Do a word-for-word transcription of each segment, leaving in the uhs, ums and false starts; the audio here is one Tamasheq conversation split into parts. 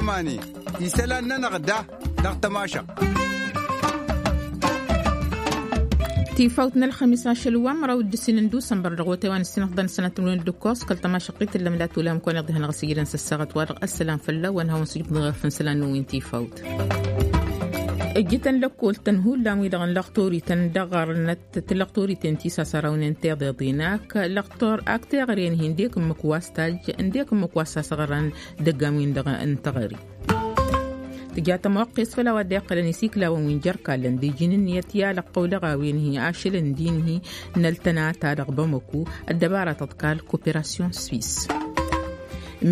Mani isălan-nănăɣ da dăɣ-tămašăɣt. Tifawt n-ălxămis ašăl wa n-măraw d-ǝssin n-dusănbăr dăɣ-wătay wa n-ǝssin ăḍḍan sănăt n-win d-ǝkkos kăl-tămašăɣt i-tǝllăm la tulam kăwăn-iḍihăn ɣas ijrăn s-ăssaɣăt wa dăɣ-ăssălam fălla-wăn hawăn-sǝjǝbdăɣ făll-isălan n-win tifawt. Ǝjjǝtăn lăkkol-tăn hullan-wi-dăɣ n-lăɣtorităn dăɣ-ɣărnăt tǝllăɣ turiten ti s-asărawnen tiḍeḍin ak lăɣtor ak teɣăre n-hi n-dek ǝmmǝk wa s-tajj n-dek ǝmmǝk wa s-asăɣran dăgg-am-win-dăɣ n-teɣăre. Tǝja tămoqqest făll-a-wa dd-iqqălăn isiklawăn wi n-jer-kallăn d-iji n-ǝnniyăt i-alăqqăw dăɣ-a-wen-hi ašăl n-din-hi n-ăltănata dăɣ-bamăku ăddăbara tăḍkal koperasyon swis.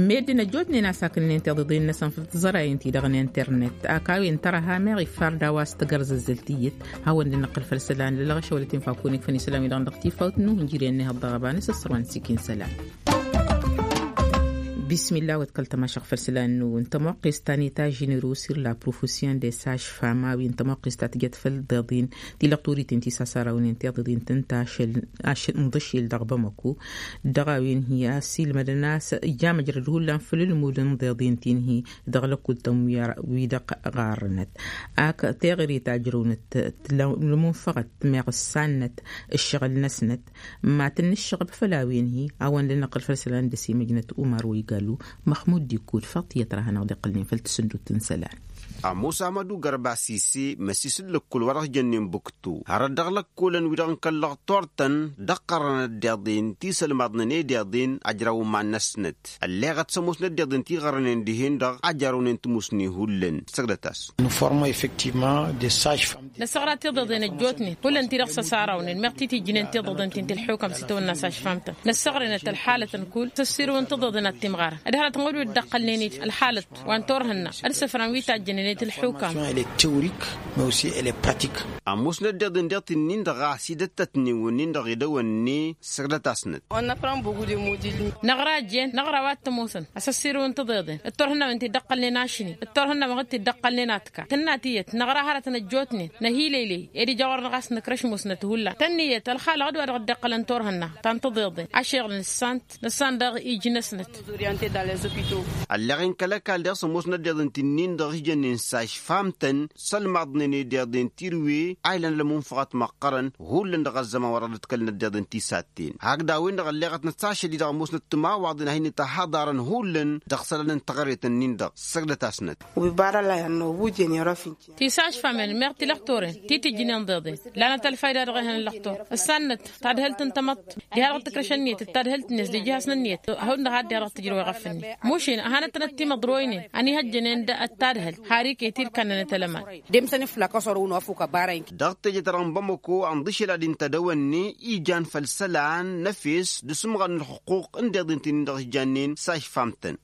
Meddǝn ăjjootnen a-s akǝnnen tiḍeḍen-năsăn făll-tǝẓrayen-ti-dăɣ n-internet ak a-wen tărăha meɣ iffar d-a-wa s-tăgărzăzzăl tiyyăt hawăn-dd-năqqǝl făll-isălan lălɣăšăwălăt infa kunǝk făll-isălan-wi-dăɣ dăɣ-tifawt n-uhǝnjǝryen n-ehăḍ dăɣ-ăbanes ăssărwan s-ikin isălan. Bismillah wa t-kăl-tămašăɣ făll-isălan n-nǝwǝn tămoqqes ta n-eta ženero sir la profession de sage femme a-wen tămoqqes ta tǝjăt făll-deḍin ti lăɣturiten ti s-asarăwnen tiḍeḍin tǝnta ašăl n-iḍǝšel dăɣ-bamăku dăɣ-a-wen hi-a s-ilmădăn a-s ija măjrăd hullan făll-ǝlmud n-deḍin ti n-hi dăɣ-lăkul tămwiyăr wi-dăɣ ɣarrănăt ak teɣăre ta ǝjrăwnăt tǝlmunfăɣăt meɣ ǝssannăt ǝššăɣǝl-năsnăt ma tǝnnǝššăɣăb făll-a-wen hi a-wen d-năqqǝl făll-isălan d-ăsimăjnăt umar wa igalu măxmud d-ikkud faḍt iyyăt ra hanăɣ-dd-iqqălnen făll-tasǝndut n-isălan. Ămoos amădu gărba sise măsisǝl lăkkol wa dăɣ-s jănnen buktu hărăt dăɣ-lăkkolăn wi-dăɣ n-kăl-lăɣtor-tăn dăɣ-qărrăn ăddiḍen ti sălmaḍnen i-diḍen ajrăw iman-năsnăt ălleɣăt s-ămoos n-ăddiḍen ti ɣărrănen dihen-dăɣ ajrăwnen timusni hullan săgdăt-as. Nǝsăɣra tiḍeḍen ăjjootnen hullan ti-dăɣ s-ăsarăwnen meɣ titijjnen tiḍeḍen ti n-tilḥukam s-itawănna s-ašfam-tăn năssăɣrănăt ălxalăt n-kull s-ăssirǝwăn tiḍeḍen ad-timɣarăn ad-hărăt n-wădwed dd-ăqqălnen-dd ălxalăt wa n-turhǝnna ad-sǝfran wi tajjănen i-tilḥukam. Ămoosnăt deḍen deḍ-t-nin-dăɣ a-s idăttătnen wǝnnin-dăɣ idăwănne săgdăt-asnăt. Năɣra ăjjeen năɣra wa t-ămoosăn asăssirǝwăn tiḍeḍen d-turhǝnnawen ti dd-ăqqălnen ašni d-turhǝnnawen ti dd-ăqqălnen atka tǝnna tiyyăt năɣra hărătăn ăjjootnen năhileyley ed ija ɣur-năɣ a-s nǝkrăš musnăt hullan tănniyyăt ălxalăɣ d-wa dăɣ-dd-iqqălăn turhǝnna ta n-tiḍeḍen ašeɣlăn ǝssant nǝssan daɣ iji-năsnăt. Ălleɣ-in kăl-ăkall dăɣ-s ămoosnăt deḍen ti-nin-dăɣ ijănnen s-ašfam-tăn sălmaḍnen i-deḍen tirǝwe a ilan ălmunfăɣăt măqqărăn hullan dăɣ-ăzzăman wa dăɣ-dd-kălnăt deḍen ti s-atten hakd a-wen-dăɣ ălleɣăt năsašăl-i-dăɣ ămoosnăt timawaḍen a hin-ităhaḍarăn hullan dăɣ-isălan n-teɣăret-nin-dăɣ săgdăt-asnăt. Tisašfamen meɣ tilăxtoren ti tǝjjǝnen deḍen lanăt ălfayda dăɣ-ehăn ăllăxtor ǝssannăt tadhǝlt n-tamăḍt diha-dăɣ tǝkrăš ănniyăt d-tadhǝlt-net d-ijihăs n-ănniyăt. Hawăn-dăɣ a dd-iha dăɣ-tǝjrăw iɣăf-net mušin ăhanăt-tănăt timăḍroynen ănihăjjănen d-tadhǝlt har iket-i d-kannănăt ălăman. Dăɣ-teje-ta-dăɣ n-bamăko ănḍǝšel ad-intădăwănne ijan făll-isălan n-efes d-asǝmɣan n-ălxuqquq n-deḍen ti-nin-dăɣ ijannen s-ašfam-tăn.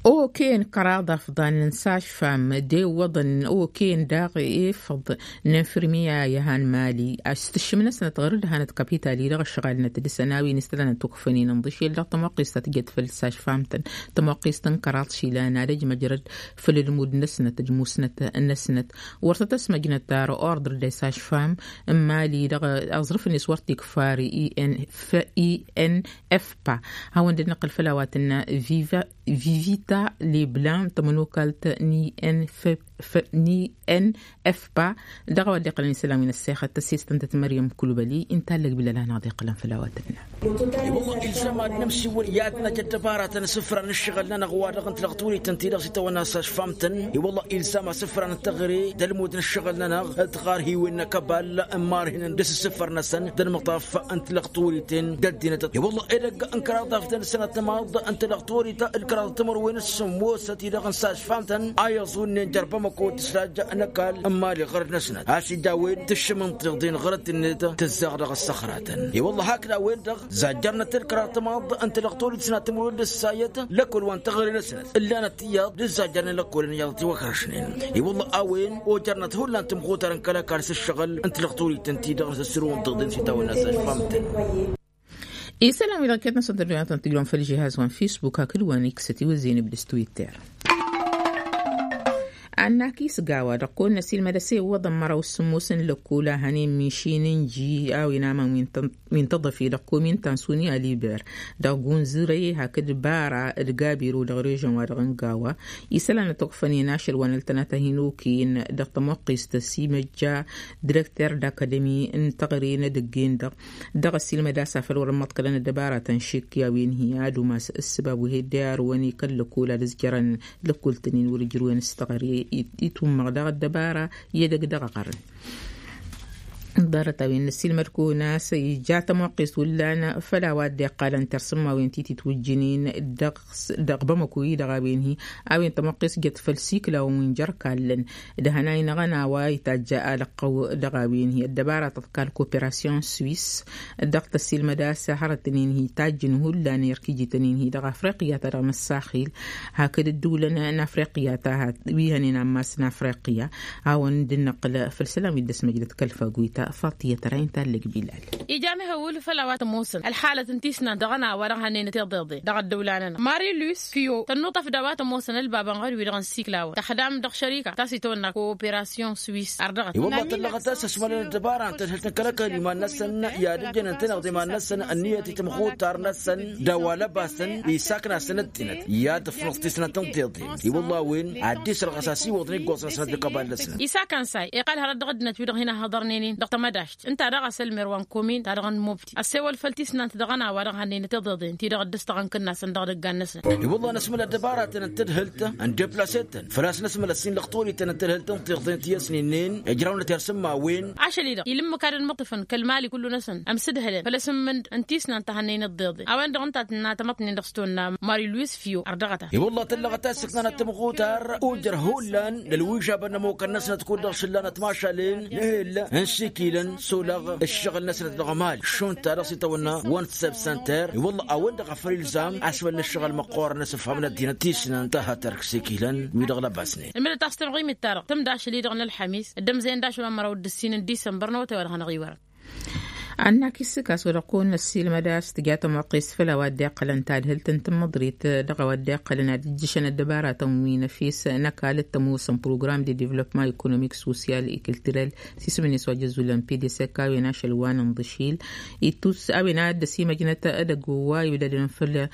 Okăyăn kăraḍ afḍan n-sašfam d-ewwăḍăn okăyăn daɣ efăḍ n-infirmiya i-han mali a-s tǝššǝm-năsnăt ɣur-dd hanăt kapital-i-dăɣ ăšɣalnăt dăɣ-săn a-wen istălănăt ukfăn-in ǝnḍǝšel dăɣ-tămoqqest ta tǝjăt făll-sašfam-tăn. Tămoqqest n-kăraḍ išilan ad-ăj măjrăd făll-ǝlmud-năsnăt d-musnăt-năsnăt wăr tăt-ăsmăjnăt ar ordre de sašfam n-mali dăɣ-aẓrǝf-net wăr t-ikfar i n f i n f pa. Hawăn-dd-năqqǝl făll-a-wa tǝnna vivita leblan tămănokalt n i n f n i n f pa. Dăɣ-a-wa dd-iqqălăn isălan wi n-ăssexăt tăssistăn-tăt măryăm kulbăli ǝnta allăg bilăl a hanăɣ-dd-iqqălăn făll-a-wa tǝnna. Iwălla ilzam ad-nǝmsiwǝl i-ad-năj ăddăbaratăn asǝfran n-ǝššăɣǝl-nănăɣ wa dăɣ-n tilăɣturit ǝnta-i-dăɣ s-itawănna s-ašfam-tăn. Iwălla ilzam asǝfran n-teɣăre d-ălmud n-ǝššăɣǝl-nănăɣ d-tiɣarhiwen n-ăkăbal n-imarhin d-asǝssǝfăr-năsăn d-ălmăṭṭaf n-tilăɣturitin d-ăddinăt iwălla edăgg n-kăraḍ afdăn sănăt tamaḍ n-tilăɣturit d-kăraḍ timărwen s-sǝmmosăt-i-dăɣ n-sašfam-tăn a iẓunnen jer-bamăko d-tǝslaj n-ăkall n-imali ɣărăt-năsnăt a-s ija a-wen tǝššǝm n-tiḍen ɣărăt-net tǝzzaɣ dăɣ-ăssăxratăn. I-wălla hakd a-wen-dăɣ zajjărnăt d-kăraḍ tamaḍ n-tilăɣturit s-inat timǝrwen d-ǝssayăt lăkol wa n-teɣăre-năsnăt ǝllanăt tiyyăḍ d-ǝzzajjărnen lăkol n-iyyăḍ tiwăkrăšnen. I-wălla a-wen ojărnăt hullan timxutărăn kăl-ăkall s-ǝššăɣǝl n-tilăɣturit ǝnta-i-dăɣ n-asǝssǝrǝwăn tiḍen s-itawănna s-ašfam-tăn. Isălan wi dăɣ-iket-năsăn tăddoyăn tăn-tǝjrăwăn făll-žihaz wa n-fisbuk hakd wa n-iksăt iwǝzzeyăn ibdǝs twitter. Ănnakis gawa dăɣ-kăwăn-năsilmăd ăsewăḍăn măraw s-sǝmmos n-lăkkol a hănen mišin n-ji a-wen aman wi n-tăḍăfe dăɣ-komin tansuni aliber dăɣ-gunzǝrăy hakd bara d-gabiro dăɣ-režăn-wa-dăɣ n-gawa. Isălan ătwăkfănen ašăl wa n-ăltănăt a hin-okăyăn dăɣ-tămoqqest s-imăjja direkter d-akademi n-teɣăre n-edăgg-en-dăɣ dăɣ-ăsilmăd a-s afăl wăr-ămmăḍkălăn ăddăbaratăn šikk i-a-wen hi-ad-umas ǝssǝbab wi heddăy arwăn i-kăl-lăkkol ad-ǝzjărăn lăkkol-tăn-in wăr-ǝjrǝwen s-teɣăre. Itummăɣ daɣ ăddăbara i-edăgg dăɣ-aɣărăn. Ḍarăt-a-wen năsilmăd-kăwăn a-s ija tămoqqest hullan făll-a-wa dd-iqqalăn tersǝmmawen ti titwǝjjǝnen dăɣ-bamăko-i-dăɣ a-wen hi-a-wen tămoqqest jăt făll-siklawăn wi n-jer-kallăn d-hănay n-aɣăna wa itajj alăqqăw dăɣ-a-wen hi-ăddăbara tăḍkal koperasyon swis. Dăɣ-tăsilmăd a-s hărătăn-in hi-tajjǝn hullan erk ijităn-in hi-dăɣ afriqya ta dăɣ-năssaxil hakd ǝddǝwlăn n-afriqya ta wi hănen ammas n-afriqya. Hawăn-dd-năqqǝl făll-isălan wi dd-ăsmăjdăt kăl-faguyta faṭiyăt ra-in tallăg bilal. Ija mihăwǝl făll-a-wa tămoosăn ălxalăt n-tisnant dăɣ-ănn a-wa dăɣ-hănnăynăt iḍeḍen dăɣ-ăddăwla-nănăɣ mari luis fiyo tănnuṭăf d-a-wa tămoosăn ălbabăn ɣăr-wi-dăɣ n-siklawăn tăxdam dăɣ-šărika ta s-itawănna koperasyon swis ărdăɣăt. I-wălla tăllăɣăt a-s ăsmălăn ăddăbara ǝnta d-hǝlt n-kăl-ăkall iman-năsăn i-ad-ǝjjănăn-tăn-dăɣ d-iman-năsăn ǝnniyăt i-tamxutar-năsăn d-a-wa lăbasăn isakn'-asăn ăddinăt i-ad-ǝfnăẓ tisnant n-tiḍen. I-wălla a-wen ad-dd-isrăɣăs a-s iwwăḍăn iggoẓ-năsăn d-ăkabal-năsăn. Isakăn say iqal hărăt dăɣ-ăddinăt wi-dăɣ hin-ăhhăḍărnen-in dăɣ-tamădašt ǝnta daɣ a-s ălmer wa n-komin ta dăɣ-nămobti ăssewăl făll-tisnant dăɣ-ănn a-wa dăɣ-hănnăynăt iḍeḍen ti-dăɣ dd-ăstăɣ n-kǝnnasăn dăɣ-idăggan-năsăn. I-wălla năsmăl ăddăbaratăn n-tadhǝlt n-deplase-tăn făl-a-s năsmăl ăssin lăxtorităn n-tadhǝlt n-tiḍen ti ăsninen ǝjrawnăt irsǝmmawen. Ašăl-i-dăɣ ilǝmmǝk ad-ănmăṭṭǝfăn kăl-mali kullu-năsăn ămsǝdhǝlăn făll-asǝmmǝnd n-tisnant ta hănnăynăt iḍeḍen a-wen-dăɣ ǝnta a tǝnna tamăḍnen dăɣ-s tonna mari luis fiyo ărdăɣăt-a. I-wălla tăllăɣăt a-s ǝknanăt tămɣutar ojăr hullan d-ălwižabăn n-ămokăn-năsnăt kud-dăɣ šǝllanăt mašalen n-ehel n-sikilăn s-olăɣ ǝššăɣǝl-năsnăt dăɣ-mali šund ta dăɣ-s itawănna one step center. I-wălla a-wen-dăɣ a făl ilzam a-s wăl n-ǝššăɣǝl măqqoorăn asǝfham n-ăddinăt tisnant ta hătărk sikilăn wi-dăɣ lăbasnen. Ǝlmǝdăt a-s tămɣimit-ta-dăɣ tǝmd ašăl-i-dăɣ n-ălxămis dd-ămzăyăn d-ašăl wa n-măraw d-ǝssin n-disămbăr n-awătay wa dăɣ-hanăɣ-iwărăn. Ănnak isǝkas wa dăɣ-kăwăn-năssiilmăd a-s tǝja tămoqqest făll-a-wa dd-iqqălăn tadhǝlt n-tǝmmăḍrit dăɣ-a-wa dd-iqqălăn ad-ǝjjǝšăn ăddăbaratăn wi n-efes n-ăkall d-tămoosăn program de devlopma ekonomik sosyal i-kiltirel s-isǝm-net wa jăzzulăn pdsk a-wen ašăl wa n-inḍǝšil. Ittus a-wen ad-dd-ăsimăjnăt edăgg wa iwǝdădăn făll-a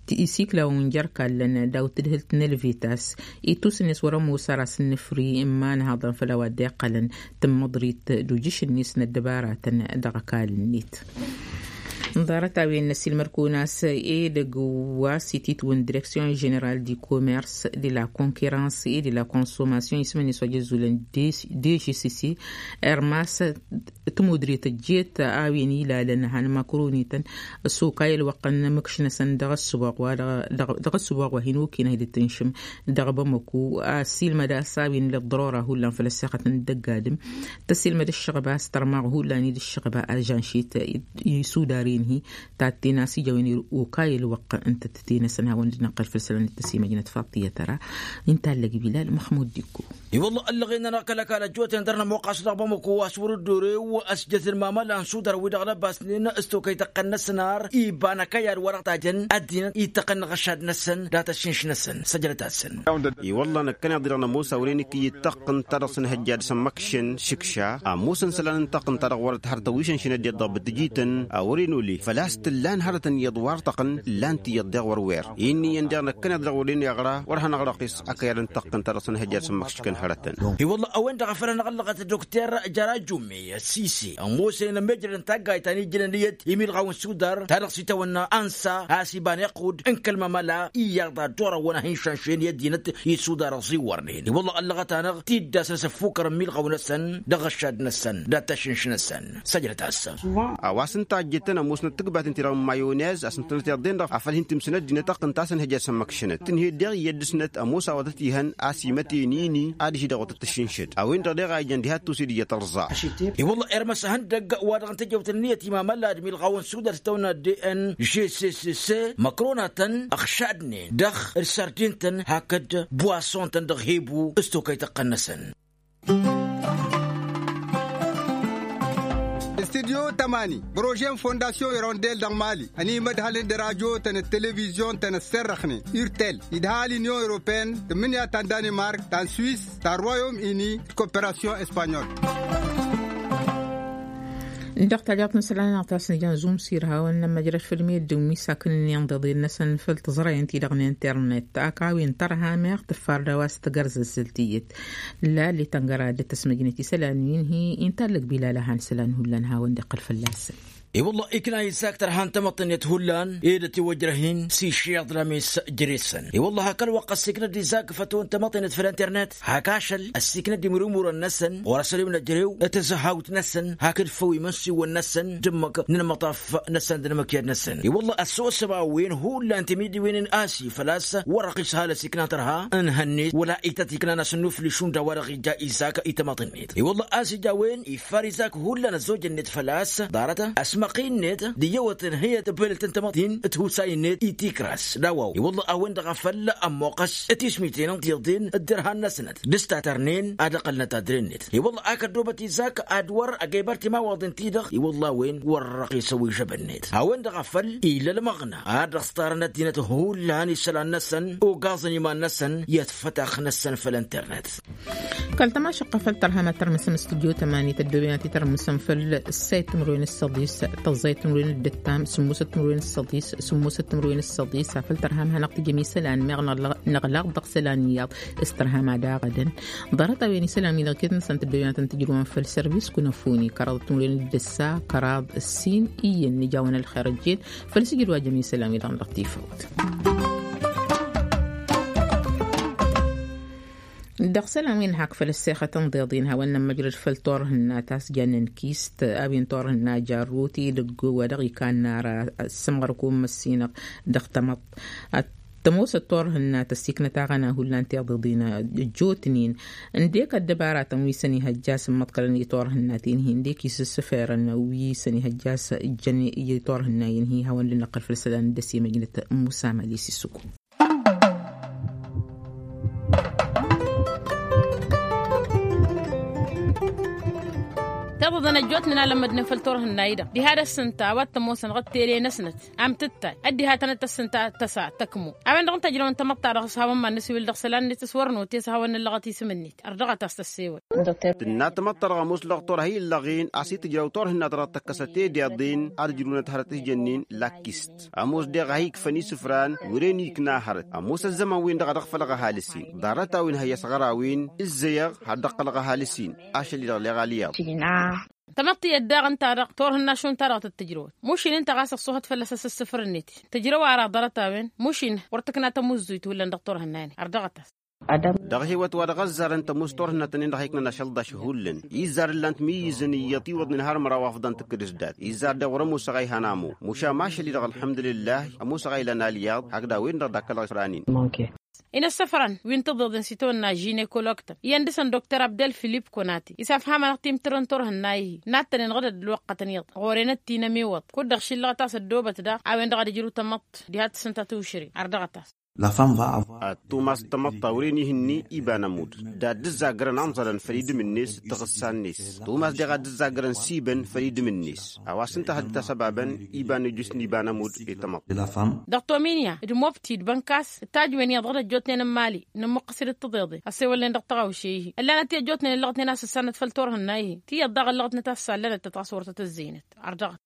isiklawăn wi n-jer-kallăn daw-tǝdhǝlt n-elvitas. Ittus-net wăr-ămoos ar asǝnnǝfri n-imanhaḍăn făll-a-wa dd-iqqălăn tǝmmăḍrit d-ujǝš-net n-ăddăbaratăn dăɣ-ăkall-net. Ḍarăt-a-wen n-ăsilmăd-kăwăn a-s edăgg wa s-ititwǝn direksyon ženeral di komers de la konkerans e de la konsomasyon isǝm-net wa jăzzulăn dejisisi ermas tǝmudrit ăjjeet a-wen ilalăn han măkronităn s-okay ălwăqq n-imǝkš-năsăn dăɣ-ăssuboɣ wa dăɣ-ăssuboɣ wa hin-okinăh d-tǝnšǝm dăɣ-bamăku. Ăssiilmăd a-s a-wen ila ăḍḍărora hullan făll-ăssexăt n-dăgg-adǝm tăssiilmăd ǝššăɣba a-s tărmaɣ hullan i-dd-ǝššăɣba ažanšit isudar-in-hi tatten a-s ija a-wen okay ălwăqq n-tăttăte-năsăn hawăn-dd-năqqăl făll-isălan d-tăsimăjnăt faḍt i-tăra. Inta allăg bilal măxmud d-ikko. I-wălla ăllăɣen-nănăɣ kăl-ăkall ăjjootnen dăr-nămoqqas dăɣ-bamăko a-s wăr-dd-orew ăsjăt n-imamăla n-sudar-wi-dăɣ lăbasnen s-tokăy tăqqăn-năsăn ar iba n-akăyad wa dăɣ-tajăn ăddinăt ittăqqăn n-aɣăšad-năsăn dat-ăššǝnš-năsăn săjdăt-asăn. I-wălla năkkăneḍ-i-dăɣ nămoos a wăren ikǝyy d-taqqǝnt ta dăɣ-săn hăjja d-asămmăkšăn šǝkša ămoosăn isălan n-taqqǝnt ta dăɣ-wărăt har tăwišăn šinăddiyăt dăɣ-bǝtǝjităn a wăren ole făl-a-s t-ǝllan hărătăn iyyăḍ wa ărtăqqăn ǝllan-t iyyăḍ deɣ wăr-wer. Inniyăn deɣ năkkăneḍ-i-dăɣ wăren iɣra wăr hanăɣ-răqqis akăyad n-taqqǝnt ta dăɣ-săn hăjja d-asămmăkšăn hărătăn. I-wălla a-wen-dăɣ a făl hanăɣ-ăllăɣăt dd-okter jăra jummi sisi ămoosnen ămmejrăd n-taggayt ta n-ijjǝnen iyyăt imilɣaw n-sudar ta dăɣ-s itawănna ansa a-s iba n-iqqud n-kăl-mamăla iyyăḍ ad-dd-orăwăn a hin-šanšăyăn i-ăddinăt isudar ăẓiwwărnen. I-wălla ăllăɣăt-anăɣ tiddas n-asăffukăr n-imilɣaw-năsăn dăɣ-ăššad-năsăn dat-tašǝnš-năsăn. Săjdăt-asăn. A-wa s-ǝnta a ăjjătăn ămoosnăt tǝgbaten-ti-dăɣ n-mayonez a-s ǝntănăt iḍen-dăɣ a făl hin-tǝmsǝn ăddinăt taqqǝnt-ta-săn hăjja d-sămmăkšănăt tǝnhǝy deɣ iyyăt dăɣ-snăt ămoos a-wa tăt-ihăn a-s imăten ini ad-ǝžžǝdăɣ wa tăt-tǝššǝnšăd a-wen-dăɣ deɣ a ijăn diha t-tusǝd iyyăt ărẓa. I-wălla irmăs ahăndăgg wa dăɣ-n tejăwt ǝnniyăt imamăla d-imilɣaw n-sudar s-tăwna d n g c c c măkronatăn ăɣšadnen dăɣ-d sărdin-tăn hakd d-buwason-tăn dăɣ-hebu s-tokăy tăqqăn-năsăn. Tidyo tămani bărožen fondasyon irondel dăɣ-mali ănimădhălăn d-rajo tăn-televizyon tăn-ăsserrăxnen urtel idha l-inyon europeen tǝmmǝnǝya ta n-danimark ta n-swis ta n-royom ini d-koperasyon espanyol. Dăɣ-tajaḍt n-isălan aɣtas n-jan zumsir hawăn n-amăjrăš făll-meddǝn wi sakǝnăn inḍeḍen-năsăn făll-tǝẓrăyăn ti-dăɣ n-internet. Ak a-wen tărha meɣ tǝffar d-a-wa s-tăgărzăzzăl tiyyăt lali tăngăra d-tăsmăjnăt isălan wi n-hi-i n-tallăg bilal a han isălan hullan hawăn-dd-iqqăl fălla-săn. I-wălla ikna izak tărha n-tamăḍt-net hullan ed ătiwăjrăh-in s-išiḍ lames jere-săn. I-wălla hak ălwăqq ăssiiknăt d-izak fătăwăn tamăḍt-net făll-internet hak ašăl ăssiiknăt d-imrǝmurăn-năsăn ɣur-asăl i-wăn ăjrew tăzăhawt-năsăn hakd făw imănsiwăn-năsăn d-ǝmmǝk n-inmăṭaf-năsăn d-inmǝkyăd-năsăn. I-wălla ăssosăba a-wen hullan timǝddiwen n-asi făl-a-s wăr-ăɣ išhal ăsikna tărha n-hănnet wăla ităt iknan asǝnnufli šund a-wa-dăɣ ija izak i-tamăḍt-net. I-wălla a-s ija a-wen iffar izak hullan ăzzojăn-net făl-a-s ḍarăt asmăqi-net d-iyyăwăt n-hăyăt bălălt n-tamăḍt-in d-husay-net i-tikras d-a-wa-wen. I-wălla a-wen-dăɣ a făl ămmoqqăs tismiten n-tiḍen d-dărhan-năsnăt d-ǝstat ărnen ad-ăqqălnăt adre-net. I-wălla ak ăddoobăt izak ad-wăr ăgg-ebăr timawaḍen-ti-dăɣ i-wălla a-wen wăr-răɣ isăwwǝžžăbăn-net a-wen-dăɣ a făl illa ălmăɣna ad-dăɣ s-tarăn ăddinăt hullan isălan-năsăn ogaẓăn iman-năsăn i-ătfătax-năsăn făll-internet. Kăl-tămašăqqă făll-tărham ad-tărmǝsăm studyo tămani tăddoobăyăn ad-t-tărmǝsăm făll-ǝssay timǝrwen ǝssăḍis tăẓẓay timǝrwen ǝddǝttam sǝmmosăt timǝrwen ǝssăḍis sǝmmosăt timǝrwen ǝssăḍis afăl tărham hanăɣ-tǝjăm isălan meɣ năɣlaɣ dăɣ-isălan iyyăḍ s-tărham ad-aɣădăn. Ḍarăt-a-wen isălan-wi-dăɣ iket-năsăn tăddoobăyăn ad-tăn-tǝjrǝwăn făll-sărvis kunăfuni kăraḍăt timǝrwen ǝddǝssa kăraḍ ǝssin iyyăn n-ija a-wen ălxer ăjjeen făll-sǝjǝd wa jăm isălan-wi-dăɣ dăɣ-tifawt. Dăɣ-isălan wi n-hak făll-ăssexăt n-iḍeḍ-in hawăn-nămmăjrăd făll-turhǝnna ta s-jannen kist a-wen turhǝnna jarrut idăgg wa dăɣ-ikanna ara s-ămɣărkun măssinăɣ dăɣ-tamăḍt. Tămoosăt turhǝnna tăssiknăt aɣăna hullan tiḍeḍ-in ăjjootnen ǝndek ăddăbaratăn wi săn ihăjja s-ǝmmăḍkălăn i-turhǝnna-ten-hi ǝndek isǝssǝferăn wi săn ihăjja s-ǝjjăn i-turhǝnna-in-hi hawăn-dd-năqqăl făll-isălan dd-ăsimăjnăt musa mali s-issǝku. Tiḍeḍen ăjjootnen a lămmădnen făll-turhǝnna-i-dăɣ diha d-ăssǝnta a-wa t-ămoosăn dăɣ-tele-năsnăt am tǝttal ăddihătăn d-tăssǝnta tăsa tăkmo. A-wen-dăɣ n-tăjrăwăn tamăḍt-ta-dăɣ s-hawăn-mad-năsiwǝl dăɣ-isălan-net s-wăr note s-hawăn-năllăɣăt isǝm-net ărdăɣăt a-s tăssewăl. Tǝnna tamăḍt-ta-dăɣ ămoos lăɣtor ha illăɣ-in a-s itǝjraw turhǝnna-ta-dăɣ tăkkăsăt tedeḍen ad-ǝjrǝwnăt hărăt ihjănnen lakist. Ămoos deɣ ha ikfăn isǝfran wăren ikna hărăt ămoos ăzzăman-wen-dăɣ ad-ăɣfălăɣ ăhalǝs-in. Ḍarăt-a-wen ha i-ăsɣăr-a-wen ǝzzăyăɣ ha dd-ăqqălăɣ ăhalǝs-in. Ašăl-i-dăɣ leɣal iyyăḍ. Tamăḍt tiyyăt daɣ ǝnta-dăɣ turhǝnna šund ta-dăɣ tăt-tǝjrăwăt mušin ǝnta ɣas ăṣṣuhăt fălla-s asǝssǝfăr-net tǝjrăw ara ḍarăt-a-wen mušin wăr tǝkna tamǝzzuyt hullan dăɣ-turhǝnna-net ărdăɣăt-as. Dăɣ-hewăt wa dăɣ-ăzzarăn tămoos turhǝnna-tăn-in-dăɣ a iknăn ašăl ḍaš hullan izzar ǝllan-t miyǝzăn iyyăḍ tiwăḍnen har măraw afḍăn tǝkkǝd s-dat izzar deɣ wăr-ămoosăɣ a ihan amo muša mašăl-i-dăɣ ălḥămdulillah. Ămoosăɣ a ilan alyaḍ hakd a-wen-dăɣ dakkălăɣ ifran-in. Inăssăfran wi n-tiḍeḍen s-itawănna žinekoloktăn iyyăn dăɣ-săn doktor abdel filip konati isafhamăn-aɣ timtǝrrǝn turhǝnna-i-hi n-ad-tăn-inɣădăd ălwăqqătăn iyyăḍ ɣur-enăt ti n-ămiwăḍ kud-dăɣ šillăɣăt a-s ăddoobăt daɣ a-wen-dăɣ ad-ǝjrǝw tamăḍt diha tǝssǝnta tiwšǝre. Ărdăɣăt-as. Tumast tamăḍt ta wăren ihǝnni iba n-ămudd d-ad-dd-ǝzzagrăn amẓălăn făll-idǝm-net d-taɣǝssa-net. Tumast deɣ ad-dd-ǝzzagrăn s-ibăn făll-idǝm-net a-wa s-ǝnta a hădd-tasăbabăn iba n-ejjǝs n-iba n-ămudd i-tamăḍt. Dăɣ-tominya d-mobti d-bănkas d-tajwen iyyăḍ dăɣ-dd-ăjjootnen n-imali nǝmmuqqăs-dd d-tiḍeḍe ăssewălnen dăɣ-tăɣawše-i-hi ăllanăt i-ăjjootnen ǝllăɣătnen a-s ǝssanăt făll-turhǝnna-i-hi tiyyăḍ daɣ ǝllăɣătnăt a-s sallănăt-tăt ɣas wăr tăt-ǝzzăynăt. Ărdăɣăt.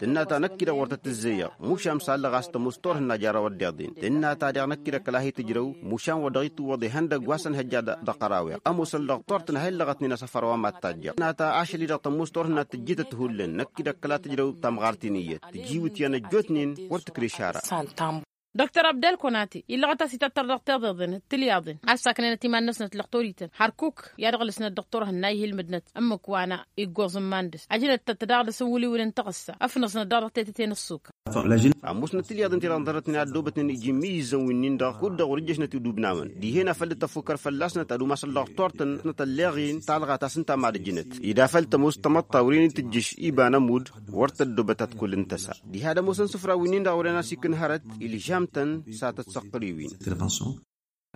Tǝnna ta năkk-i-dăɣ wăr tăt-ǝzzăyăɣ mušan s-allăɣ a-s tămoos turhǝnna jer-a-wăr dd-iḍen tǝnna ta deɣ năkk-i-dăɣ kăla hi-tǝjrăw. Mušan wăr dăɣ-itǝwwăḍ ihăndăgg wa s-ănhăjja d-ăqqăraw-eɣ ămoosăn dăɣ-turtăn ha illăɣătnen asăfăr wa mad-tajjăɣ tǝnna ta ašăl-i-dăɣ tămoos turhǝnna tǝjjǝtăt hullan năkk-i-dăɣ kăla tǝjrăw tamɣart-in iyyăt tǝjǝwǝtyan ăjjootnen. Wăr tǝkreš ara. Dr abdel konati illăɣăt a-s ităttăr dăɣ-tiḍeḍen d-tilyaḍen ad-saknenăt iman-năsnăt lăqtorităn hărkuk i-ad-ăɣlǝsnăt dăɣ-turhǝnna ihǝlmǝdnăt ǝmmǝk wa n-iggoẓ n-iman-dăɣ ăjnăt-tăt daɣ dăɣ-s n-wǝliwǝl n-taɣǝssa ăfnăẓnăt daɣ dăɣ-tetăte n-ǝssukăr. Ămoosnăt tilyaḍen ti-dăɣ ǝnḍărătnen a ăddoobătnen iji imǝyyǝzzăn wi-nin-dăɣ kud-dăɣ wăr-ǝjjăšnăt idubnawăn dihen a făl dd-tăfukăr fălla-snăt ad-umasăn dăɣ-turtăn-snăt ălleɣ-in talɣa ta s-ǝnta mad-ǝjnăt ed afăl tămoos tamăḍt ta wăren-in tǝjjǝš iba n-ămudd. Wăr tăddoobăt ad-kull n-tăsa diha d-ămoosăn isǝfrawen-in-dăɣ a wăren-asik n-hărăt ilžam-tăn s-ad-tăt-săqqăr i-win.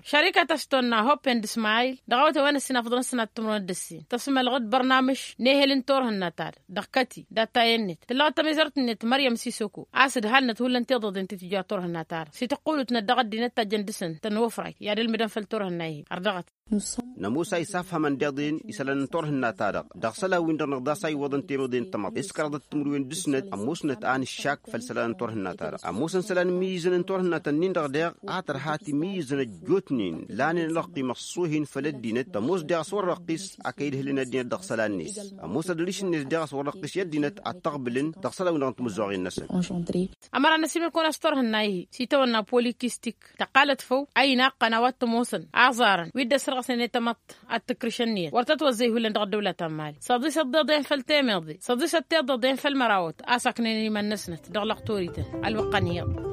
Šărikăt a-s tonna hoppen d-ismayil dăɣ-awătay wa n-ăssin afḍăn ăssinat timǝrwen d-ăssin tăsmălɣăd bărnamǝš n-ehel n-turhǝnna-ta-dăɣ dăɣ-kăti data-en-net tǝllăɣăt tămizărt-net măryăm sisoko a-s ǝdhalnăt hullan tiḍăḍen ti tǝjja turhǝnna-ta-dăɣ s-tăqqulǝtnăt dăɣ-ăddinăt tajjăn dăɣ-săn tănwăfray i-ad-ălmǝdăn făll-turhǝnna-hi. Ărdăɣăt. Nămoos a isafhamăn d-iḍen isălan n-turhǝnna-ta-dăɣ dăɣ-isălan-win-dăɣ năɣ daɣ s-a iwwăḍăn temăḍe n-tamăḍt s-kăraḍăt timǝrwen d-ǝsnăt ămoosnăt a n-ǝššak făll-isălan n-turhǝnna-ta-dăɣ ămoosăn isălan n-imǝyyǝzăn n-turhǝnna-tăn-in-dăɣ deɣ a tărha timǝyyǝzăn ăjjootnen lanen ălăqqim ăṣṣuhin făll-ăddinăt tămoos deɣ a-s wăr răqqis a kăy-dd-hǝlăn ăddinăt dăɣ-isălan-net. Ămoos ad-ărišǝnnet deɣ a-s wăr răqqis i-ăddinăt ad-tăɣbǝlăn dăɣ-isălan-win-dăɣ n-timǝzzuɣin-năsăn. Ămăra n-ăsimǝlkun a-s turhǝnna-ihi s-itawănna polikistik tăqqalăt făw a inaqqăn a-wa t-ămoosăn aẓarăn wi dd-ăssărɣăsnen i-tamăḍt ad-t-ǝkrǝš ǝnniyăt wăr tătwăzzăy hullan dăɣ-ăddăwla ta n-mali săḍisăt d-iḍen făll-temeḍe săḍisăt tiḍăḍen făll-mărawăt a-s ăknăyăn iman-năsnăt dăɣ-lăqtorităn. Ălwăqq ănhǝyăḍ.